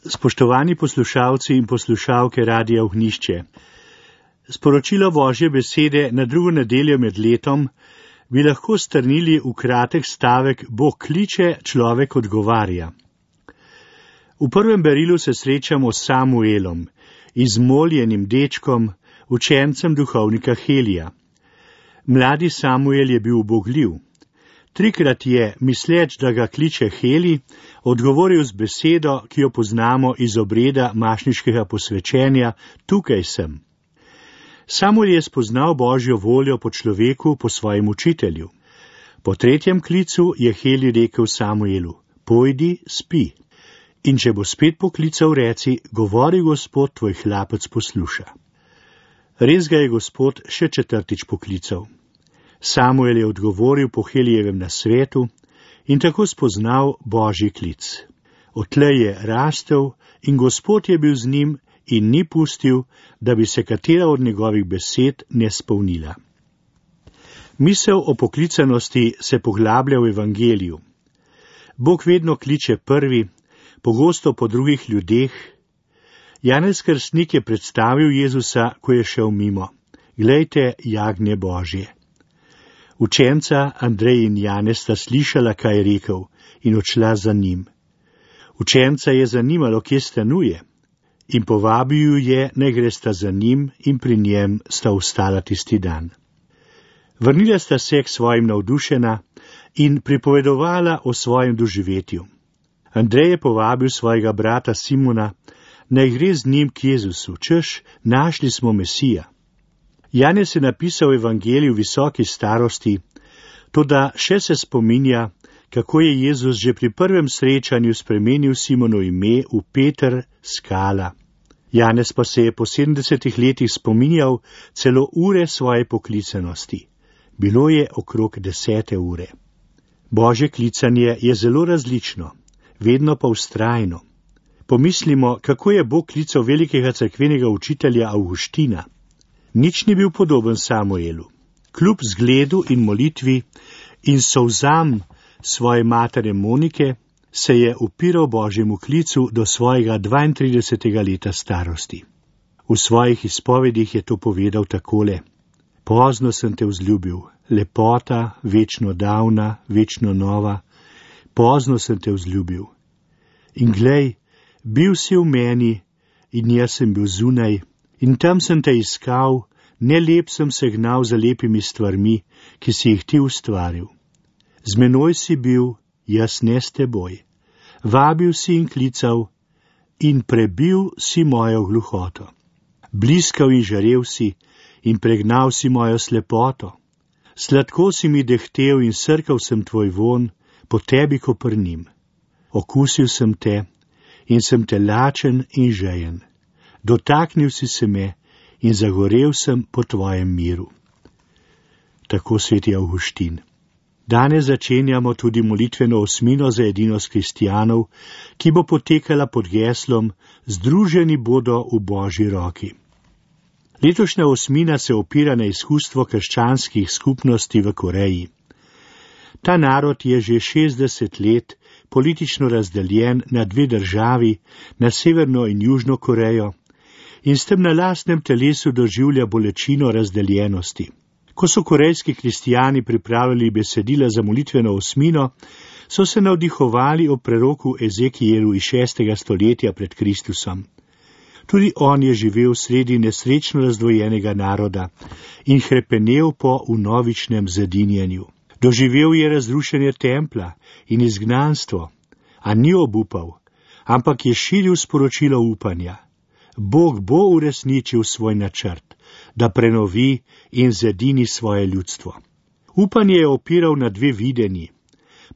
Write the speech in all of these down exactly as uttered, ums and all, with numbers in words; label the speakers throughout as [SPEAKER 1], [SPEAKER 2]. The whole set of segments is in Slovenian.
[SPEAKER 1] Spoštovani poslušalci in poslušalke Radia Ognjišče, sporočilo Božje besede na drugo nedeljo med letom bi lahko strnili v kratek stavek: Bog kliče, človek odgovarja. V prvem berilu se srečamo s Samuelom, izmoljenim dečkom, učencem duhovnika Helija. Mladi Samuel je bil ubogljiv. Trikrat je, misleč, da ga kliče Heli, odgovoril z besedo, ki jo poznamo iz obreda mašniškega posvečenja: tukaj sem. Samuel je spoznal Božjo voljo po človeku, po svojem učitelju. Po tretjem klicu je Heli rekel Samuelu: pojdi, spi. In če bo spet poklical, reci: govori Gospod, tvoj hlapec posluša. Res ga je Gospod še četrtič poklical. Samuel je odgovoril po Helijevem nasvetu in tako spoznal Božji klic. Odtlej je rastel in Gospod je bil z njim in ni pustil, da bi se katera od njegovih besed ne spolnila. Misel o poklicanosti se poglablja v evangeliju. Bog vedno kliče prvi, pogosto po drugih ljudeh. Janez Krstnik je predstavil Jezusa, ko je šel mimo: glejte, jagnje Božje. Učenca Andrej in Janez sta slišala, kaj je rekel, in odšla za njim. Učenca je zanimalo, kje stanuje, in povabil ju je, naj gresta za njim, in pri njem sta ostala tisti dan. Vrnila sta se k svojim navdušena in pripovedovala o svojem doživetju. Andrej je povabil svojega brata Simona, naj gre z njim k Jezusu, češ, našli smo Mesija. Janez je napisal evangelij v visoki starosti, toda še se spominja, kako je Jezus že pri prvem srečanju spremenil Simonu ime v Peter, skala. Janez pa se je po sedemdesetih letih spominjal celo ure svoje poklicanosti. Bilo je okrog desete ure. Božje klicanje je zelo različno, vedno pa vztrajno. Pomislimo, kako je Bog klical velikega cerkvenega učitelja Avguština. Nič ni bil podoben Samuelu. Kljub zgledu in molitvi in solzam svoje matere Monike se je upiral Božjemu klicu do svojega dvaintridesetega leta starosti. V svojih izpovedih je to povedal takole: pozno sem te vzljubil, lepota, večno davna, večno nova, pozno sem te vzljubil. In glej, bil si v meni in jaz sem bil zunaj, in tam sem te iskal, ne lep sem se gnal za lepimi stvarmi, ki si jih ti ustvaril. Z menoj si bil, jaz ne s teboj. Vabil si in klical in prebil si mojo gluhoto. Bliskav in žarev si in pregnal si mojo slepoto. Sladko si mi dehtel in srkal sem tvoj von, po tebi koprnim. Okusil sem te in sem te lačen in žejen. Dotaknil si se me in zagorel sem po tvojem miru. Tako sveti Avguštin. Danes začenjamo tudi molitveno osmino za edinost kristjanov, ki bo potekala pod geslom Združeni bodo v Božji roki. Letošnja osmina se opira na izkustvo krščanskih skupnosti v Koreji. Ta narod je že šestdeset let politično razdeljen na dve državi, na Severno in Južno Korejo, in s tem na lastnem telesu doživlja bolečino razdeljenosti. Ko so korejski kristijani pripravljali besedila za molitveno osmino, so se navdihovali o preroku Ezekijelu iz šestega stoletja pred Kristusom. Tudi on je živel sredi nesrečno razdvojenega naroda in hrepenel po vnovičnem zedinjenju. Doživel je razrušenje templa in izgnanstvo, a ni obupal, ampak je širil sporočilo upanja. Bog bo uresničil svoj načrt, da prenovi in zedini svoje ljudstvo. Upanje je opiral na dve videnji.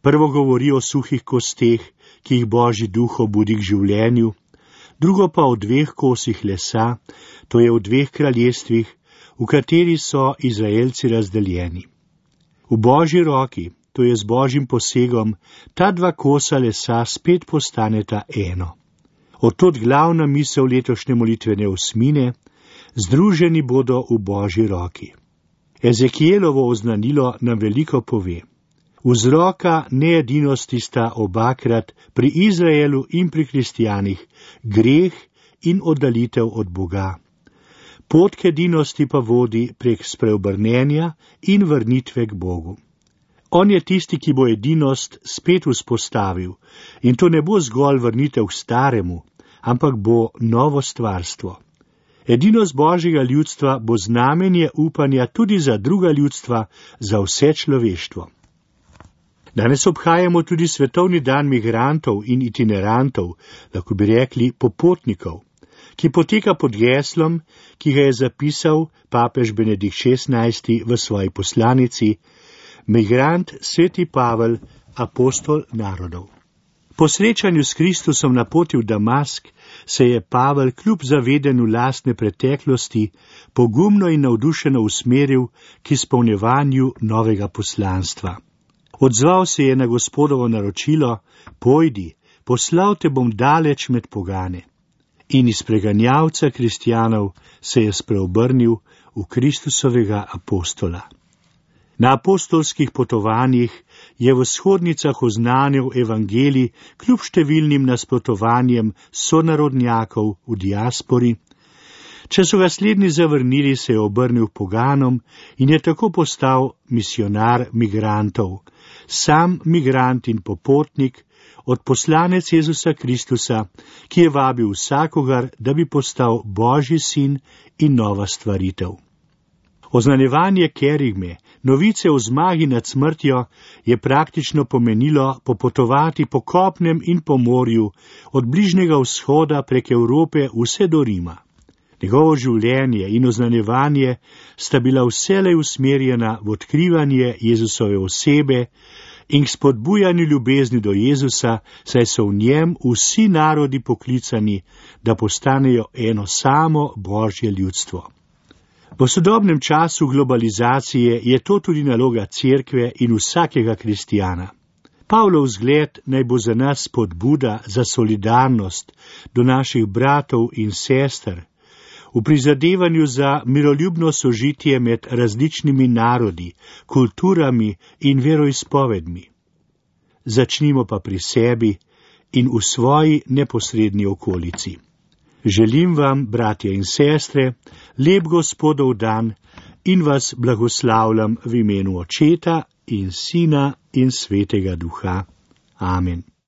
[SPEAKER 1] Prvo govori o suhih kosteh, ki jih Božji duh obudi k življenju, drugo pa o dveh kosih lesa, to je v dveh kraljestvih, v kateri so Izraelci razdeljeni. V Božji roki, to je z Božjim posegom, ta dva kosa lesa spet postaneta eno. Otod glavna misel letošnje molitvene osmine: združeni bodo v Božji roki. Ezekijelovo oznanilo nam veliko pove. Vzroka needinosti sta obakrat pri Izraelu in pri kristijanih greh in oddalitev od Boga. Pot k edinosti pa vodi prek spreobrnenja in vrnitve k Bogu. On je tisti, ki bo edinost spet vzpostavil, in to ne bo zgolj vrnitev k staremu, ampak bo novo stvarstvo. Edinost Božjega ljudstva bo znamenje upanja tudi za druga ljudstva, za vse človeštvo. Danes obhajamo tudi svetovni dan migrantov in itinerantov, lahko bi rekli popotnikov, ki poteka pod geslom, ki ga je zapisal papež Benedikt šestnajsti v svoji poslanici: Migrant sveti Pavel, apostol narodov. Po srečanju s Kristusom na poti v Damask se je Pavel kljub zavedanju lastne preteklosti pogumno in navdušeno usmeril k izpolnjevanju novega poslanstva. Odzval se je na Gospodovo naročilo: Pojdi, poslal te bom daleč med pogane. In iz preganjavca kristjanov se je spreobrnil v Kristusovega apostola. Na apostolskih potovanjih je v shodnicah oznanil evangelij kljub številnim nasprotovanjem sonarodnjakov v diaspori. Če so ga slednji zavrnili, se je obrnil poganom in je tako postal misionar migrantov, sam migrant in popotnik, odposlanec Jezusa Kristusa, ki je vabil vsakogar, da bi postal Božji sin in nova stvaritev. Oznanjevanje kerigme, novice o zmagi nad smrtjo, je praktično pomenilo popotovati po kopnem in po morju, od Bližnjega vzhoda prek Evrope vse do Rima. Njegovo življenje in oznanjevanje sta bila vselej usmerjena v odkrivanje Jezusove osebe in k spodbujanju ljubezni do Jezusa, saj so v njem vsi narodi poklicani, da postanejo eno samo Božje ljudstvo. V sodobnem času globalizacije je to tudi naloga cerkve in vsakega kristijana. Pavlov zgled naj bo za nas spodbuda za solidarnost do naših bratov in sester, v prizadevanju za miroljubno sožitje med različnimi narodi, kulturami in veroizpovedmi. Začnimo pa pri sebi in v svoji neposredni okolici. Želim vam, bratje in sestre, lep Gospodov dan in vas blagoslavljam v imenu Očeta in Sina in Svetega Duha. Amen.